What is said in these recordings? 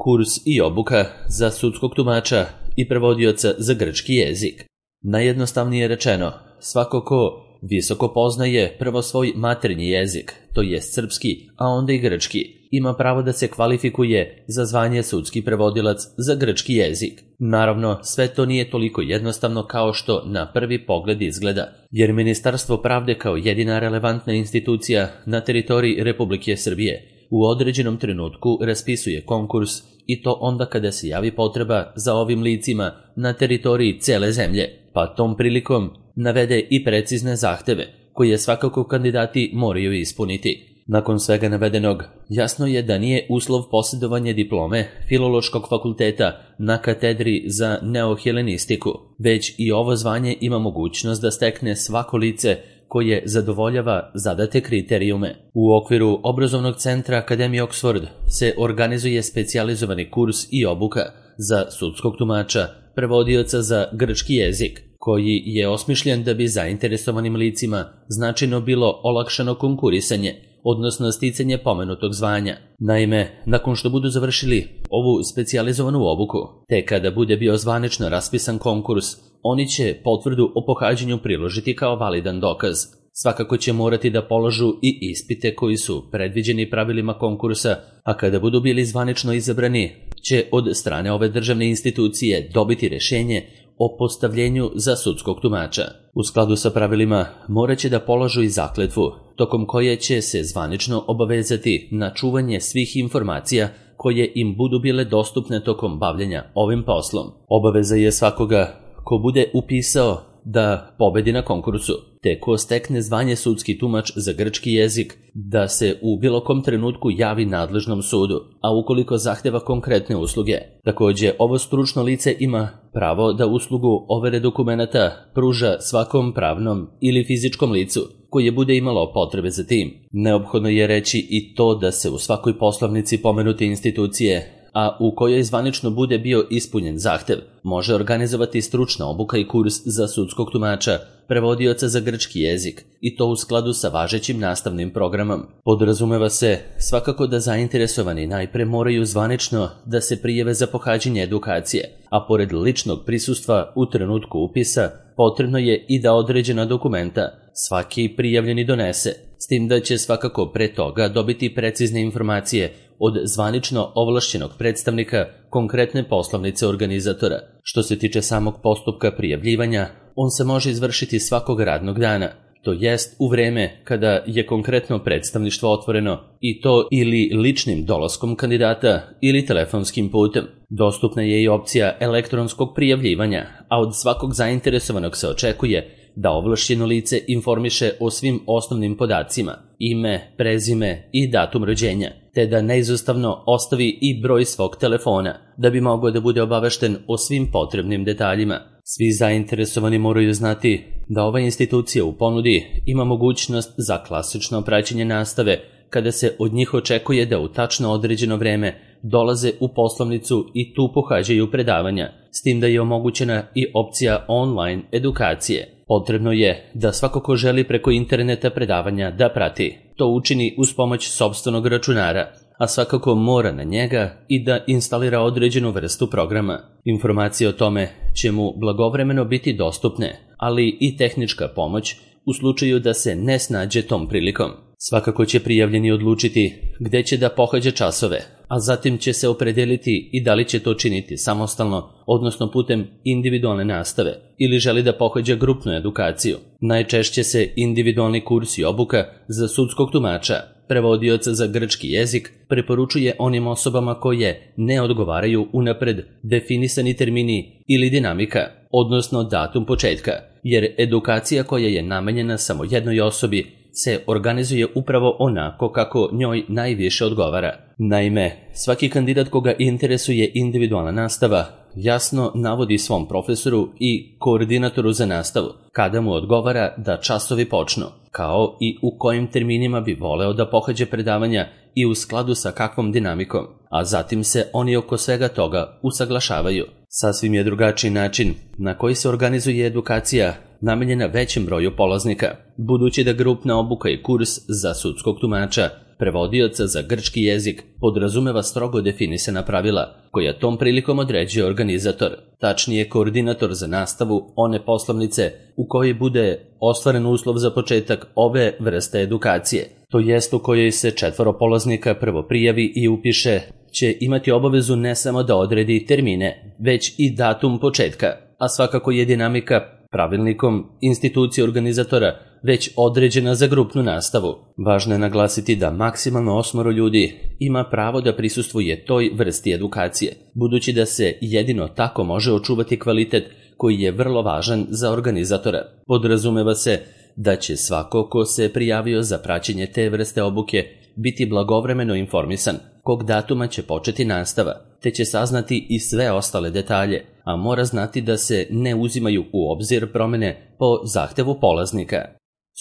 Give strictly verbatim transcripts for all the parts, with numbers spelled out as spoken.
kurs i obuka za sudskog tumača i prevodioca za grčki jezik. Najjednostavnije rečeno, svako ko visoko poznaje prvo svoj maternji jezik, to jest srpski, a onda i grčki, ima pravo da se kvalifikuje za zvanje sudski prevodilac za grčki jezik. Naravno, sve to nije toliko jednostavno kao što na prvi pogled izgleda, jer Ministarstvo pravde kao jedina relevantna institucija na teritoriji Republike Srbije u određenom trenutku raspisuje konkurs i to onda kada se javi potreba za ovim licima na teritoriji cele zemlje, pa tom prilikom navede i precizne zahteve koje svakako kandidati moraju ispuniti. Nakon svega navedenog, jasno je da nije uslov posjedovanje diplome Filološkog fakulteta na katedri za neohelenistiku, već i ovo zvanje ima mogućnost da stekne svako lice koje zadovoljava zadate kriterijume. U okviru obrazovnog centra Akademije Oxford se organizuje specijalizovani kurs i obuka za sudskog tumača, prevodioca za grčki jezik, koji je osmišljen da bi zainteresovanim licima značajno bilo olakšano konkurisanje, odnosno sticanje pomenutog zvanja. Naime, nakon što budu završili ovu specijalizovanu obuku, te kada bude bio zvanično raspisan konkurs, oni će potvrdu o pohađanju priložiti kao validan dokaz. Svakako će morati da položu i ispite koji su predviđeni pravilima konkursa, a kada budu bili zvanično izabrani, će od strane ove državne institucije dobiti rješenje o postavljenju za sudskog tumača. U skladu sa pravilima morat će da položu i zakletvu, tokom koje će se zvanično obavezati na čuvanje svih informacija koje im budu bile dostupne tokom bavljenja ovim poslom. Obaveza je svakoga ko bude upisao da pobedi na konkursu, te ko stekne zvanje sudski tumač za grčki jezik, da se u bilo kom trenutku javi nadležnom sudu, a ukoliko zahteva konkretne usluge. Također, ovo stručno lice ima pravo da uslugu overe dokumenata pruža svakom pravnom ili fizičkom licu koje bude imalo potrebe za tim. Neophodno je reći i to da se u svakoj poslovnici pomenute institucije, a u kojoj zvanično bude bio ispunjen zahtev, može organizovati stručna obuka i kurs za sudskog tumača, prevodioca za grčki jezik, i to u skladu sa važećim nastavnim programom. Podrazumeva se svakako da zainteresovani najpre moraju zvanično da se prijave za pohađanje edukacije, a pored ličnog prisustva u trenutku upisa, potrebno je i da određena dokumenta svaki prijavljeni donese, s tim da će svakako pre toga dobiti precizne informacije od zvanično ovlašćenog predstavnika konkretne poslovnice organizatora. Što se tiče samog postupka prijavljivanja, on se može izvršiti svakog radnog dana, to jest u vreme kada je konkretno predstavništvo otvoreno, i to ili ličnim dolaskom kandidata ili telefonskim putem. Dostupna je i opcija elektronskog prijavljivanja, a od svakog zainteresovanog se očekuje da ovlašćeno lice informiše o svim osnovnim podacima, ime, prezime i datum rođenja, te da neizostavno ostavi i broj svog telefona, da bi mogao da bude obavešten o svim potrebnim detaljima. Svi zainteresovani moraju znati da ova institucija u ponudi ima mogućnost za klasično praćenje nastave, kada se od njih očekuje da u tačno određeno vreme dolaze u poslovnicu i tu pohađaju predavanja, s tim da je omogućena i opcija online edukacije. Potrebno je da svako ko želi preko interneta predavanja da prati, to učini uz pomoć sopstvenog računara, a svakako mora na njega i da instalira određenu vrstu programa. Informacije o tome će mu blagovremeno biti dostupne, ali i tehnička pomoć u slučaju da se ne snađe tom prilikom. Svakako će prijavljeni odlučiti gde će da pohađa časove, a zatim će se opredeliti i da li će to činiti samostalno, odnosno putem individualne nastave, ili želi da pohađa grupnu edukaciju. Najčešće se individualni kurs i obuka za sudskog tumača, prevodioca za grčki jezik, preporučuje onim osobama koje ne odgovaraju unapred definisani termini ili dinamika, odnosno datum početka, jer edukacija koja je namenjena samo jednoj osobi se organizuje upravo onako kako njoj najviše odgovara. Naime, svaki kandidat koga interesuje individualna nastava jasno navodi svom profesoru i koordinatoru za nastavu kada mu odgovara da časovi počnu, kao i u kojim terminima bi voleo da pohađa predavanja i u skladu sa kakvom dinamikom, a zatim se oni oko svega toga usaglašavaju. Sasvim je drugačiji način na koji se organizuje edukacija namenjena većem broju polaznika, budući da grupna obuka i kurs za sudskog tumača prevodioca za grčki jezik podrazumeva strogo definisana pravila, koja tom prilikom određuje organizator, tačnije koordinator za nastavu one poslovnice u kojoj bude ostvaren uslov za početak ove vrste edukacije, to jest u kojoj se četvoro polaznika prvo prijavi i upiše, će imati obavezu ne samo da odredi termine, već i datum početka, a svakako je dinamika pravilnikom institucije organizatora već određena za grupnu nastavu. Važno je naglasiti da maksimalno osmoro ljudi ima pravo da prisustvuje toj vrsti edukacije, budući da se jedino tako može očuvati kvalitet koji je vrlo važan za organizatora. Podrazumeva se da će svako ko se prijavio za praćenje te vrste obuke biti blagovremeno informisan kog datuma će početi nastava, te će saznati i sve ostale detalje, a mora znati da se ne uzimaju u obzir promene po zahtevu polaznika.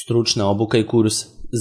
Stručna obuka i kurs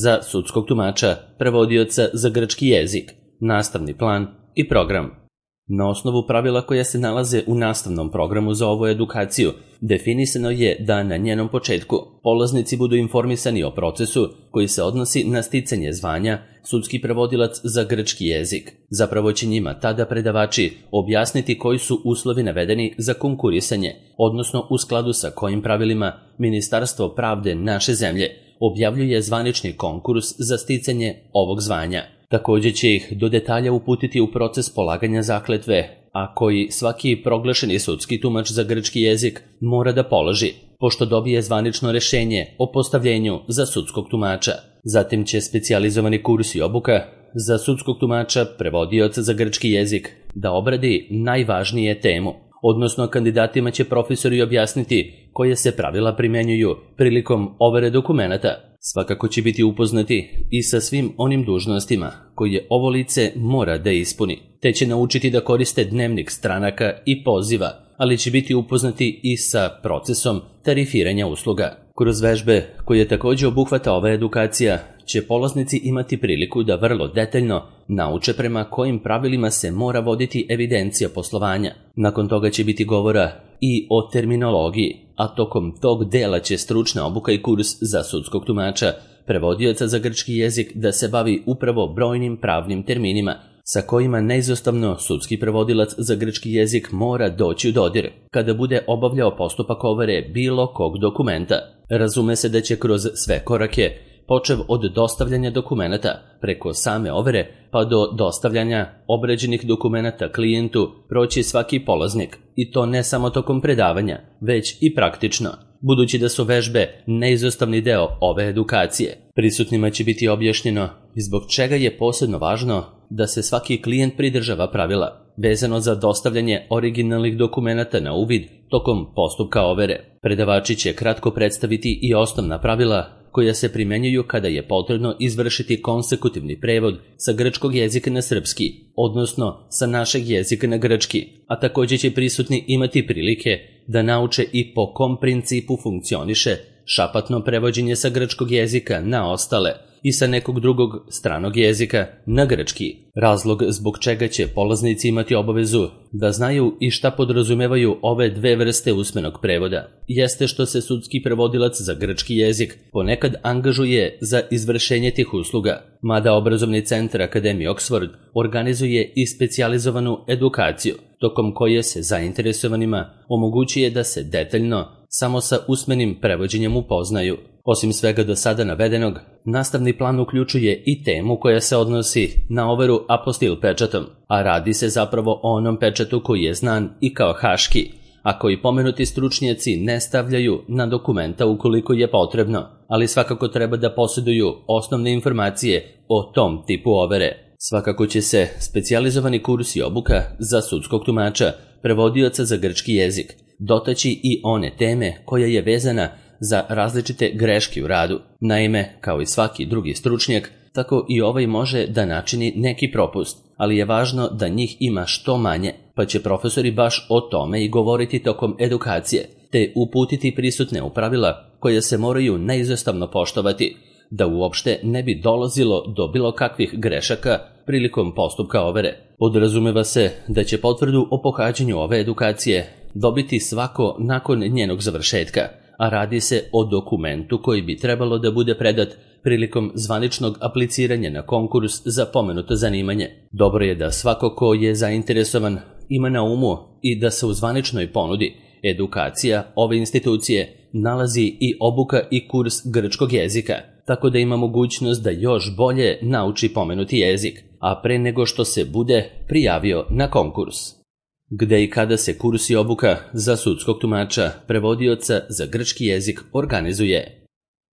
za sudskog tumača, prevodioca za grčki jezik, nastavni plan i program. Na osnovu pravila koja se nalaze u nastavnom programu za ovu edukaciju, definisano je da na njenom početku polaznici budu informisani o procesu koji se odnosi na sticanje zvanja sudski prevodilac za grčki jezik. Zapravo će njima tada predavači objasniti koji su uslovi navedeni za konkurisanje, odnosno u skladu sa kojim pravilima Ministarstvo pravde naše zemlje objavljuje zvanični konkurs za sticanje ovog zvanja. Također će ih do detalja uputiti u proces polaganja zakletve, a koji svaki proglašeni sudski tumač za grčki jezik mora da položi, pošto dobije zvanično rešenje o postavljenju za sudskog tumača. Zatim će specijalizovani kurs i obuka za sudskog tumača, prevodioca za grčki jezik, da obradi najvažnije temu, odnosno kandidatima će profesori objasniti koje se pravila primenjuju prilikom overe dokumenata. Svakako će biti upoznati i sa svim onim dužnostima koje ovo lice mora da ispuni, te će naučiti da koriste dnevnik stranaka i poziva, ali će biti upoznati i sa procesom tarifiranja usluga. Kroz vežbe koje također obuhvata ova edukacija, će polaznici imati priliku da vrlo detaljno nauče prema kojim pravilima se mora voditi evidencija poslovanja. Nakon toga će biti govora i o terminologiji, a tokom tog dela će stručna obuka i kurs za sudskog tumača, prevodioca za grčki jezik da se bavi upravo brojnim pravnim terminima, sa kojima neizostavno sudski prevodilac za grčki jezik mora doći u dodir kada bude obavljao postupak overe bilo kog dokumenta. Razume se da će kroz sve korake, počev od dostavljanja dokumenata preko same overe pa do dostavljanja obrađenih dokumenata klijentu, proći svaki polaznik, i to ne samo tokom predavanja, već i praktično, budući da su vežbe neizostavni deo ove edukacije. Prisutnima će biti objašnjeno zbog čega je posebno važno da se svaki klijent pridržava pravila vezano za dostavljanje originalnih dokumenata na uvid tokom postupka overe. Predavači će kratko predstaviti i osnovna pravila koja se primenjuju kada je potrebno izvršiti konsekutivni prevod sa grčkog jezika na srpski, odnosno sa našeg jezika na grčki, a također će prisutni imati prilike da nauče i po kom principu funkcioniše šapatno prevođenje sa grčkog jezika na ostale i sa nekog drugog stranog jezika na grčki. Razlog zbog čega će polaznici imati obavezu da znaju i šta podrazumevaju ove dve vrste usmenog prevoda jeste što se sudski prevodilac za grčki jezik ponekad angažuje za izvršenje tih usluga, mada obrazovni centar Akademije Oxford organizuje i specijalizovanu edukaciju, tokom koje se zainteresovanima omogućuje da se detaljno samo sa usmenim prevođenjem upoznaju. Osim svega do sada navedenog, nastavni plan uključuje i temu koja se odnosi na overu apostil pečatom, a radi se zapravo o onom pečatu koji je znan i kao haški, a koji pomenuti stručnjaci ne stavljaju na dokumenta ukoliko je potrebno, ali svakako treba da posjeduju osnovne informacije o tom tipu overe. Svakako će se specijalizovani kurs i obuka za sudskog tumača, prevodioca za grčki jezik, dotaći i one teme koja je vezana za različite greške u radu. Naime, kao i svaki drugi stručnjak, tako i ovaj može da načini neki propust, ali je važno da njih ima što manje, pa će profesori baš o tome i govoriti tokom edukacije, te uputiti prisutne u pravila koje se moraju neizostavno poštovati, da uopšte ne bi dolazilo do bilo kakvih grešaka prilikom postupka overe. Podrazumeva se da će potvrdu o pohađanju ove edukacije dobiti svako nakon njenog završetka, a radi se o dokumentu koji bi trebalo da bude predat prilikom zvaničnog apliciranja na konkurs za pomenuto zanimanje. Dobro je da svako ko je zainteresovan ima na umu i da se u zvaničnoj ponudi edukacija ove institucije nalazi i obuka i kurs grčkog jezika, tako da ima mogućnost da još bolje nauči pomenuti jezik, a pre nego što se bude prijavio na konkurs. Gde i kada se kurs i obuka za sudskog tumača, prevodioca za grčki jezik organizuje?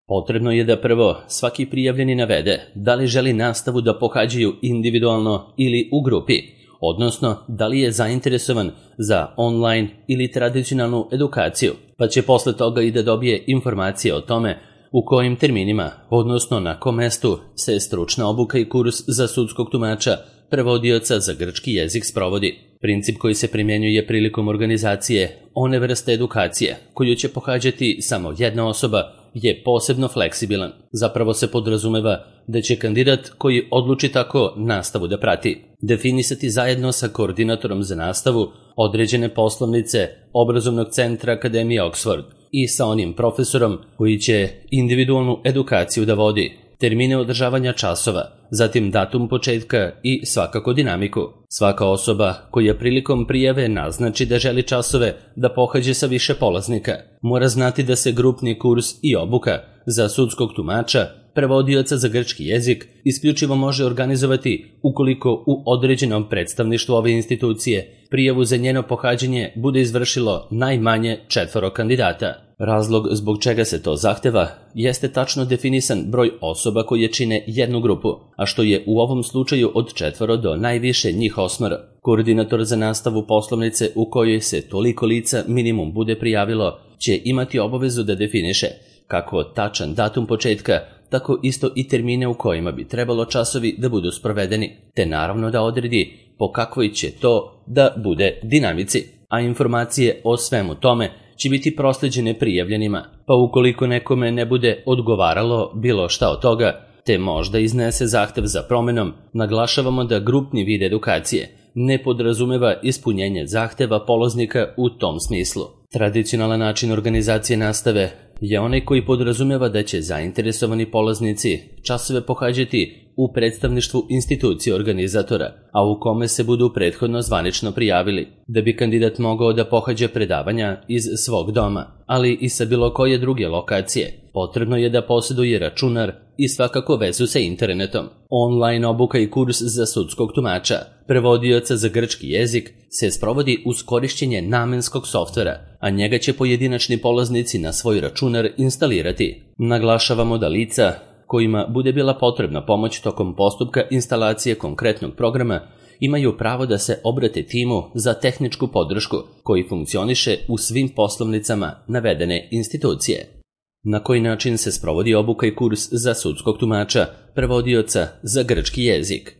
Potrebno je da prvo svaki prijavljeni navede da li želi nastavu da pohađaju individualno ili u grupi, odnosno da li je zainteresovan za online ili tradicionalnu edukaciju, pa će posle toga i da dobije informacije o tome u kojim terminima, odnosno na kom mestu se stručna obuka i kurs za sudskog tumača, prevodioca za grčki jezik sprovodi. Princip koji se primjenjuje prilikom organizacije one vrste edukacije koju će pohađati samo jedna osoba je posebno fleksibilan. Zapravo se podrazumeva da će kandidat koji odluči tako nastavu da prati definisati zajedno sa koordinatorom za nastavu određene poslovnice obrazovnog centra Akademije Oxford i sa onim profesorom koji će individualnu edukaciju da vodi, termine održavanja časova, zatim datum početka i svakako dinamiku. Svaka osoba koja prilikom prijave naznači da želi časove da pohađe sa više polaznika, mora znati da se grupni kurs i obuka za sudskog tumača, prevodioca za grčki jezik, isključivo može organizovati ukoliko u određenom predstavništvu ove institucije prijavu za njeno pohađanje bude izvršilo najmanje četvoro kandidata. Razlog zbog čega se to zahteva jeste tačno definisan broj osoba koje čine jednu grupu, a što je u ovom slučaju od četvoro do najviše njih osmoro. Koordinator za nastavu poslovnice u kojoj se toliko lica minimum bude prijavilo će imati obavezu da definiše kako tačan datum početka, tako isto i termine u kojima bi trebalo časovi da budu sprovedeni, te naravno da odredi po kakvoj će to da bude dinamici, a informacije o svemu tome će biti prosleđene prijavljenima, pa ukoliko nekome ne bude odgovaralo bilo šta od toga, te možda iznese zahtev za promenom, naglašavamo da grupni vid edukacije ne podrazumeva ispunjenje zahteva polaznika u tom smislu. Tradicionalan način organizacije nastave je onaj koji podrazumeva da će zainteresovani polaznici časove pohađati u predstavništvu institucije organizatora, a u kome se budu prethodno zvanično prijavili, da bi kandidat mogao da pohađa predavanja iz svog doma, ali i sa bilo koje druge lokacije. Potrebno je da posjeduje računar i svakako vezu sa internetom. Online obuka i kurs za sudskog tumača, prevodioca za grčki jezik, se sprovodi uz korišćenje namenskog softvera, a njega će pojedinačni polaznici na svoj računar instalirati. Naglašavamo da lica kojima bude bila potrebna pomoć tokom postupka instalacije konkretnog programa imaju pravo da se obrate timu za tehničku podršku koji funkcioniše u svim poslovnicama navedene institucije. Na koji način se sprovodi obuka i kurs za sudskog tumača, prevodioca za grčki jezik?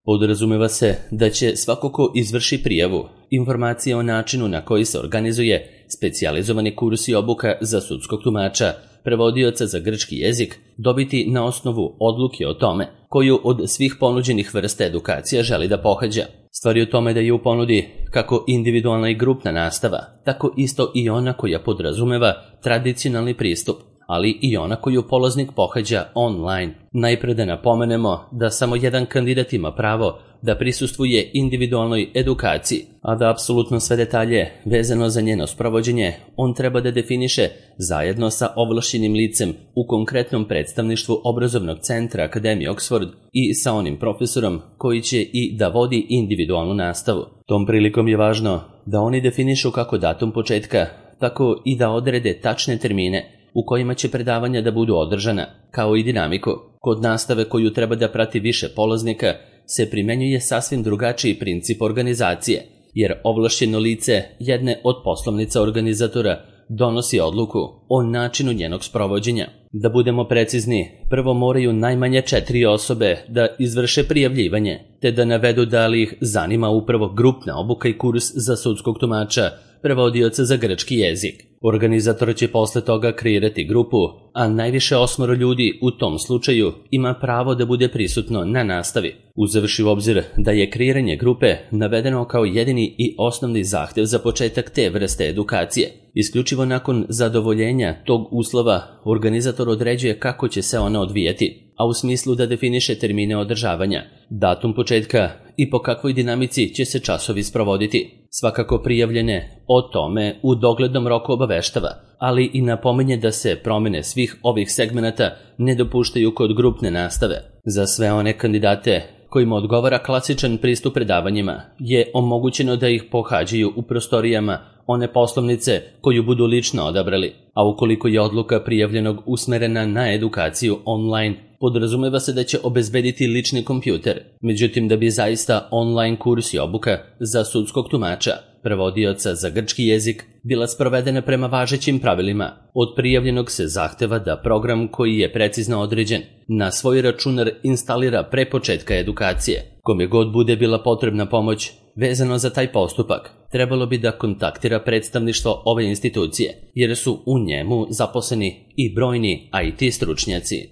Podrazumeva se da će svako ko izvrši prijavu informacije o načinu na koji se organizuje specijalizovani kurs i obuka za sudskog tumača, prevodioca za grčki jezik, dobiti na osnovu odluke o tome koju od svih ponuđenih vrsta edukacija želi da pohađa. Stvar je u tome da je u ponudi kako individualna i grupna nastava, tako isto i ona koja podrazumeva tradicionalni pristup, ali i ona koju polaznik pohađa online. Najpre da napomenemo da samo jedan kandidat ima pravo da prisustvuje individualnoj edukaciji, a da apsolutno sve detalje vezano za njeno sprovođenje on treba da definiše zajedno sa ovlašćenim licem u konkretnom predstavništvu obrazovnog centra Akademije Oxford i sa onim profesorom koji će i da vodi individualnu nastavu. Tom prilikom je važno da oni definišu kako datum početka, tako i da odrede tačne termine u kojima će predavanja da budu održana, kao i dinamiku. Kod nastave koju treba da prati više polaznika se primenjuje sasvim drugačiji princip organizacije, jer ovlašćeno lice jedne od poslovnica organizatora donosi odluku o načinu njenog sprovođenja. Da budemo precizni, prvo moraju najmanje četiri osobe da izvrše prijavljivanje, te da navedu da li ih zanima upravo grupna obuka i kurs za sudskog tumača, prevodioca za grčki jezik. Organizator će posle toga kreirati grupu, a najviše osmoro ljudi u tom slučaju ima pravo da bude prisutno na nastavi. Uzevši u obzir da je kreiranje grupe navedeno kao jedini i osnovni zahtev za početak te vrste edukacije. Isključivo nakon zadovoljenja tog uslova, organizator određuje kako će se ona odvijati, a u smislu da definiše termine održavanja, datum početka i po kakvoj dinamici će se časovi sprovoditi. Svakako prijavljene o tome u doglednom roku obaveštava, ali i napominje da se promene svih ovih segmenata ne dopuštaju kod grupne nastave. Za sve one kandidate kojima odgovara klasičan pristup predavanjima je omogućeno da ih pohađaju u prostorijama one poslovnice koju budu lično odabrali, a ukoliko je odluka prijavljenog usmerena na edukaciju online, podrazumeva se da će obezbediti lični kompjuter. Međutim, da bi zaista online kurs i obuka za sudskog tumača, prevodioca za grčki jezik, bila sprovedena prema važećim pravilima, od prijavljenog se zahteva da program koji je precizno određen na svoj računar instalira pre početka edukacije. Kome god bude bila potrebna pomoć vezano za taj postupak, trebalo bi da kontaktira predstavništvo ove institucije, jer su u njemu zaposleni i brojni I T stručnjaci.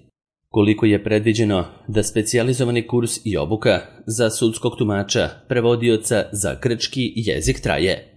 Koliko je predviđeno da specijalizovani kurs i obuka za sudskog tumača, prevodioca za grčki jezik traje?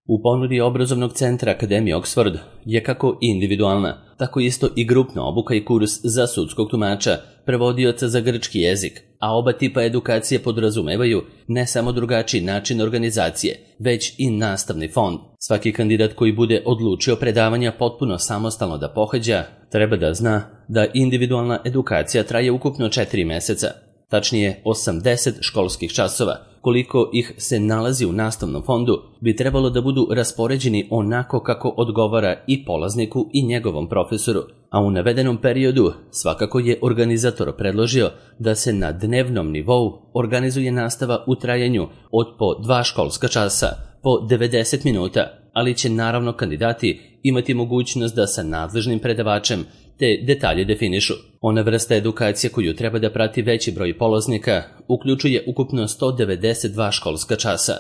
U ponudi obrazovnog centra Akademije Oxford je kako individualna, tako isto i grupna obuka i kurs za sudskog tumača, prevodioca za grčki jezik, a oba tipa edukacije podrazumevaju ne samo drugačiji način organizacije, već i nastavni fond. Svaki kandidat koji bude odlučio predavanja potpuno samostalno da pohađa, treba da zna da individualna edukacija traje ukupno četiri meseca, tačnije osamdeset školskih časova. Koliko ih se nalazi u nastavnom fondu, bi trebalo da budu raspoređeni onako kako odgovara i polazniku i njegovom profesoru, a u navedenom periodu svakako je organizator predložio da se na dnevnom nivou organizuje nastava u trajanju od po dva školska časa, po devedeset minuta, ali će naravno kandidati imati mogućnost da sa nadležnim predavačem te detalje definišu. Ona vrsta edukacije koju treba da prati veći broj polaznika uključuje ukupno sto devedeset dva školska časa,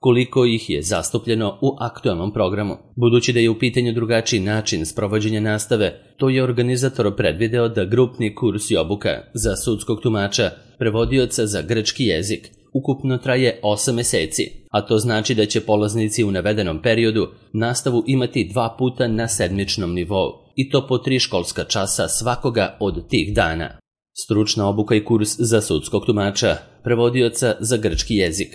koliko ih je zastupljeno u aktualnom programu. Budući da je u pitanju drugačiji način sprovođenja nastave, to je organizator predvideo da grupni kurs i obuka za sudskog tumača, prevodioca za grčki jezik, ukupno traje osam meseci, a to znači da će polaznici u navedenom periodu nastavu imati dva puta na sedmičnom nivou, i to po tri školska časa svakoga od tih dana. Stručna obuka i kurs za sudskog tumača, prevodioca za grčki jezik.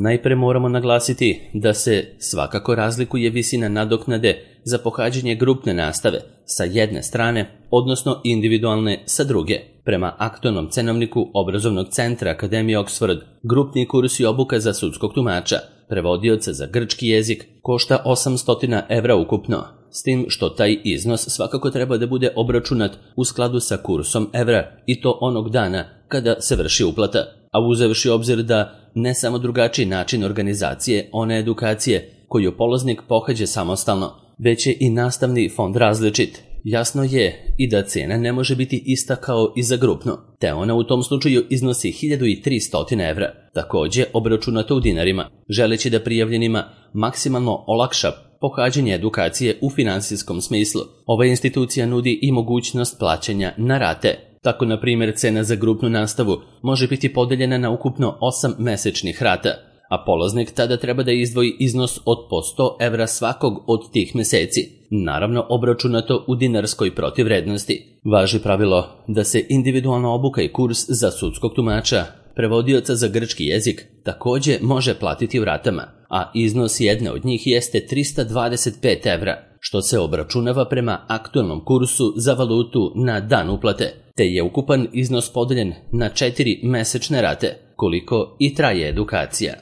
Najpre moramo naglasiti da se svakako razlikuje visina nadoknade za pohađanje grupne nastave sa jedne strane, odnosno individualne sa druge. Prema aktualnom cenovniku obrazovnog centra Akademije Oxford, grupni kurs i obuka za sudskog tumača, prevodioca za grčki jezik, košta osamsto evra ukupno, s tim što taj iznos svakako treba da bude obračunat u skladu sa kursom evra i to onog dana kada se vrši uplata, a uzevši obzir da ne samo drugačiji način organizacije one edukacije koju polaznik pohađa samostalno, već je i nastavni fond različit. Jasno je i da cena ne može biti ista kao i za grupno, te ona u tom slučaju iznosi hiljadu tristo evra, takođe obračunato u dinarima, želeći da prijavljenima maksimalno olakša pohađanje edukacije u finansijskom smislu. Ova institucija nudi i mogućnost plaćanja na rate. Tako, na primjer, cena za grupnu nastavu može biti podeljena na ukupno osam mesečnih rata, a polaznik tada treba da izdvoji iznos od po sto evra svakog od tih meseci, naravno obračunato u dinarskoj protivvrednosti. Važi pravilo da se individualna obuka i kurs za sudskog tumača, prevodioca za grčki jezik, takođe može platiti u ratama, a iznos jedne od njih jeste trista dvadeset pet evra, što se obračunava prema aktualnom kursu za valutu na dan uplate, te je ukupan iznos podeljen na četiri mesečne rate, koliko i traje edukacija.